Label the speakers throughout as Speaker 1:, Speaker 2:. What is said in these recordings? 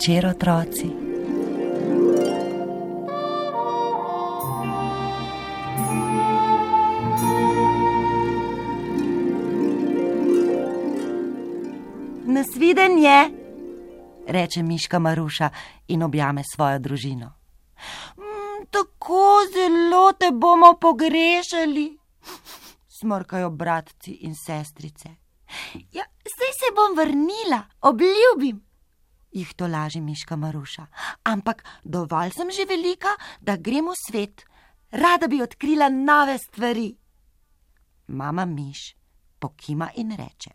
Speaker 1: večer, otroci. Nasvidenje, reče miška Maruša in objame svojo družino. Tako zelo te bomo pogrešali, smrkajo bratci in sestrice. Ja, saj se bom vrnila, obljubim, jih tolaži miška Maruša. Ampak dovolj sem že velika, da grem v svet. Rada bi odkrila nove stvari. Mama miš pokima in reče.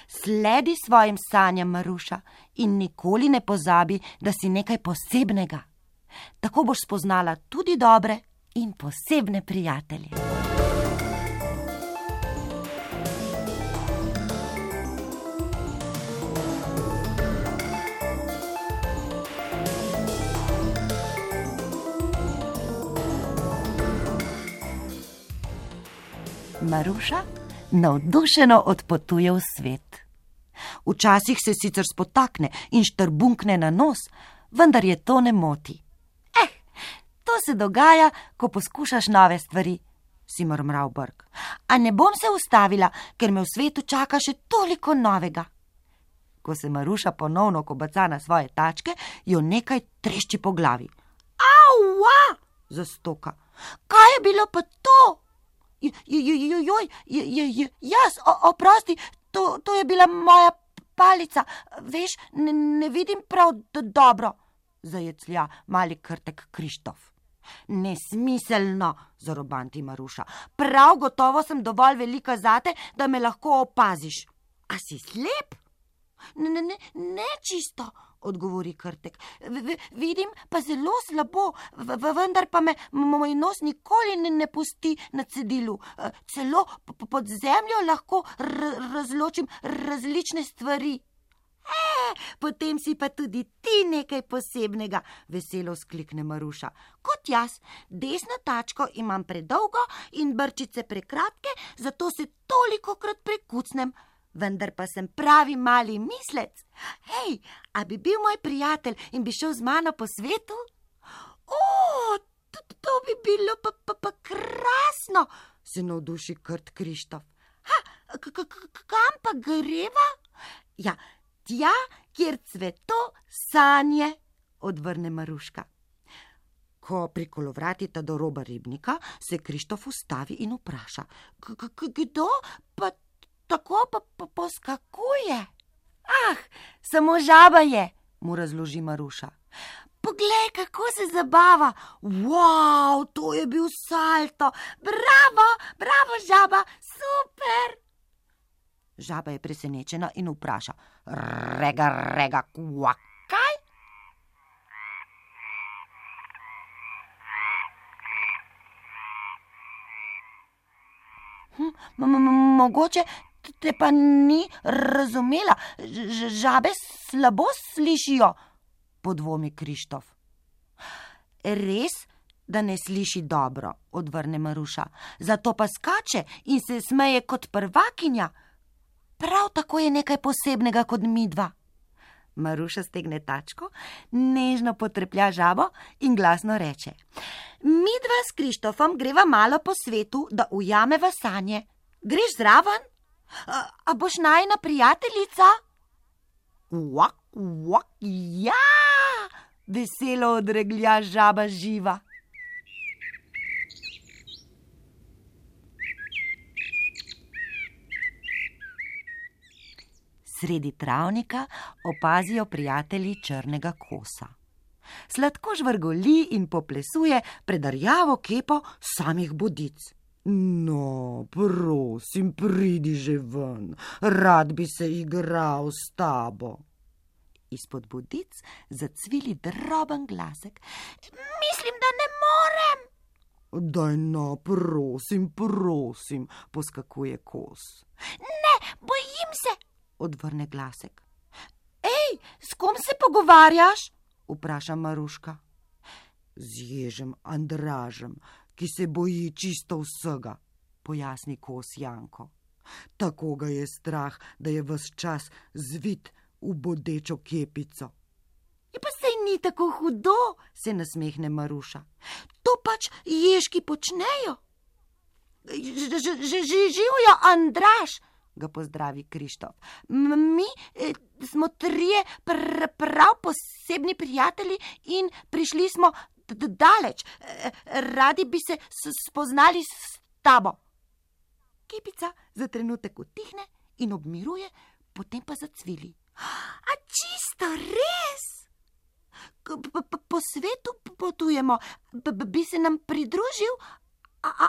Speaker 1: Sledi svojim sanjam, Maruša, in nikoli ne pozabi, da si nekaj posebnega. Tako boš spoznala tudi dobre in posebne prijatelje. Maruša navdušeno odpotuje v svet. Včasih se sicer spotakne in štrbunkne na nos, vendar je to ne moti. To se dogaja, ko poskušaš nove stvari, si mrmral Brk. A ne bom se ustavila, ker me v svetu čaka še toliko novega. Ko se Maruša ponovno kobaca na svoje tačke, jo nekaj trešči po glavi. Aua! Zastoka. Kaj je bilo pa to? Jaz, oprosti, to je bila moja palica. Veš, ne vidim prav dobro, zajeclja mali krtek Krištof. Nesmiselno, zarobanti Maruša. Prav gotovo sem dovolj velika zate, da me lahko opaziš. A si slep? Ne čisto, odgovori krtek. Vidim pa zelo slabo, vendar pa me moj nos nikoli ne pusti na cedilu. Celo pod zemljo lahko razločim različne stvari. Potem si pa tudi ti nekaj posebnega, veselo sklikne Maruša. Kot jaz, desno tačko imam predolgo in brčice prekratke, zato se tolikokrat prekucnem. Vendar pa sem pravi mali mislec. A bi bil moj prijatelj in bi šel z mano po svetu? To bi bilo pa krasno, se navduši krt Krištof. Kam pa greva? Ja, tja, kjer cveto sanje, odvrne Maruška. Ko prikolovratita do roba ribnika, se Krištof ustavi in vpraša. Kdo pa tako pa poskakuje? Samo žaba je, mu razloži Maruša. Poglej, kako se zabava. Wow, to je bil salto. Bravo, žaba, super. Žaba je presenečena in vpraša. Rega, kaj? Mogoče te pa ni razumela. Žabe slabo slišijo, podvomi Krištof. Res, da ne sliši dobro, odvrne Maruša. Zato pa skače in se smeje kot prvakinja. Prav tako je nekaj posebnega kot midva. Maruša stegne tačko, nežno potreplja žabo in glasno reče. Midva s Krištofom greva malo po svetu, da ujameva sanje. Greš zraven? A boš najina prijateljica? Ja! Veselo odreglja žaba živa. Sredi travnika opazijo prijatelji črnega kosa. Sladko žvrgoli in poplesuje pred rjavo kepo samih bodic. No, prosim, pridi že ven, rad bi se igral s tabo. Izpod bodic zacvili droben glasek. Mislim, da ne morem. Daj no, prosim, poskakuje kos. Ne, bojim se, odvrne glasek. S kom se pogovarjaš? Vpraša Maruška. Z ježem Andražem, ki se boji čisto vsega, pojasni kos Janko. Tako ga je strah, da je ves čas zvit v bodečo kepico. Pa sej ni tako hudo, se nasmehne Maruša. To pač ježki počnejo. Živjo, Andraž, ga pozdravi Krištof. Mi smo trije prav posebni prijatelji in prišli smo daleč. Radi bi se spoznali s tabo. Kepica za trenutek utihne in obmiruje, potem pa zacvili. A čisto res? Po svetu potujemo, bi se nam pridružil,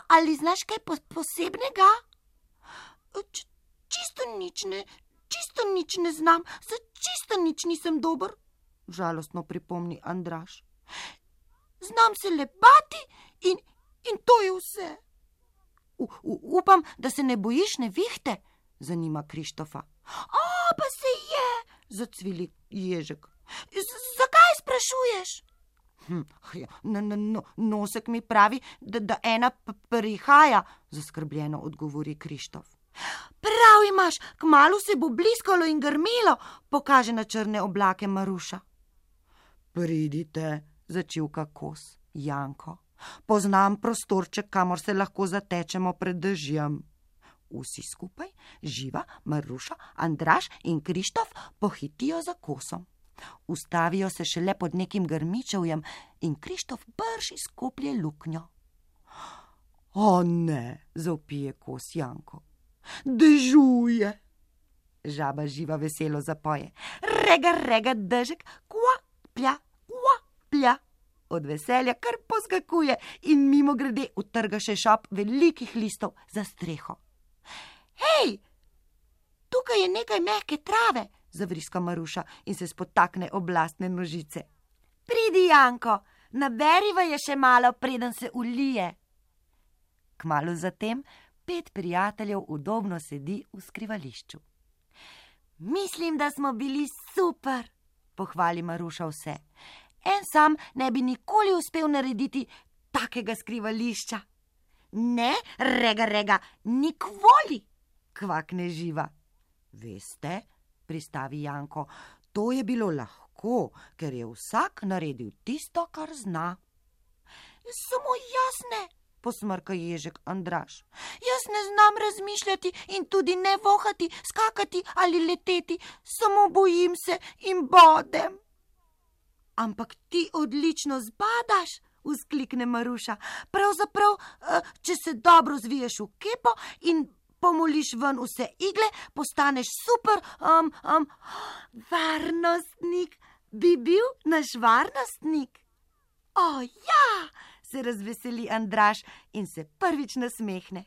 Speaker 1: ali znaš kaj posebnega? Čisto nič ne znam, za čisto nič nisem dober, žalostno pripomni Andraž. Znam se le bati in to je vse. Upam, da se ne bojiš nevihte, zanima Krištofa. Pa se je, zacvili ježek. Zakaj sprašuješ? Nosek mi pravi, da ena prihaja, zaskrbljeno odgovori Krištof. Prav imaš, kmalu se bo bliskalo in grmelo, pokaže na črne oblake Maruša. Pridite, začivka kos Janko. Poznam prostorček, kamor se lahko zatečemo pred dežjem. Vsi skupaj, Živa, Maruša, Andraž in Krištof, pohitijo za kosom. Ustavijo se šele pod nekim grmičevjem in Krištof brž izkoplje luknjo. O ne, zavpije kos Janko. Dežuje. Žaba Živa veselo zapoje. Rega, dežek, kva, plja. Od veselja kar poskakuje in mimogrede utrga še šop velikih listov za streho. Hej, tukaj je nekaj mehke trave, zavriska Maruša in se spotakne oblastne nožice. Pridi, Janko, naberiva je še malo, preden se ulije. Kmalu zatem 5 prijateljev udobno sedi v skrivališču. Mislim, da smo bili super, pohvali Maruša vse. En sam ne bi nikoli uspel narediti takega skrivališča. Ne, rega, nikoli, kvakne Živa. Veste, pristavi Janko, to je bilo lahko, ker je vsak naredil tisto, kar zna. Samo jaz ne, posmrka ježek Andraž. Jaz ne znam razmišljati in tudi ne vohati, skakati ali leteti, samo bojim se in bodem. Ampak ti odlično zbadaš, vzklikne Maruša. Pravzaprav, če se dobro zviješ v kepo in pomoliš ven vse igle, postaneš super, varnostnik. Bi bil naš varnostnik? O ja, se razveseli Andraž in se prvič nasmehne.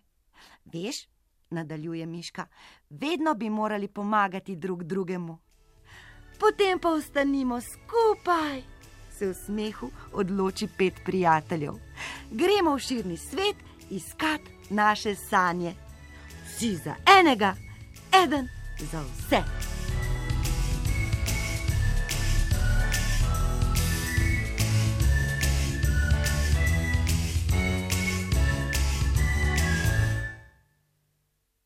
Speaker 1: Veš, nadaljuje Miška, vedno bi morali pomagati drug drugemu. Potem pa ostanimo skupaj, se v smehu odloči 5 prijateljev. Gremo v širni svet iskat naše sanje. Vsi za enega, eden za vse.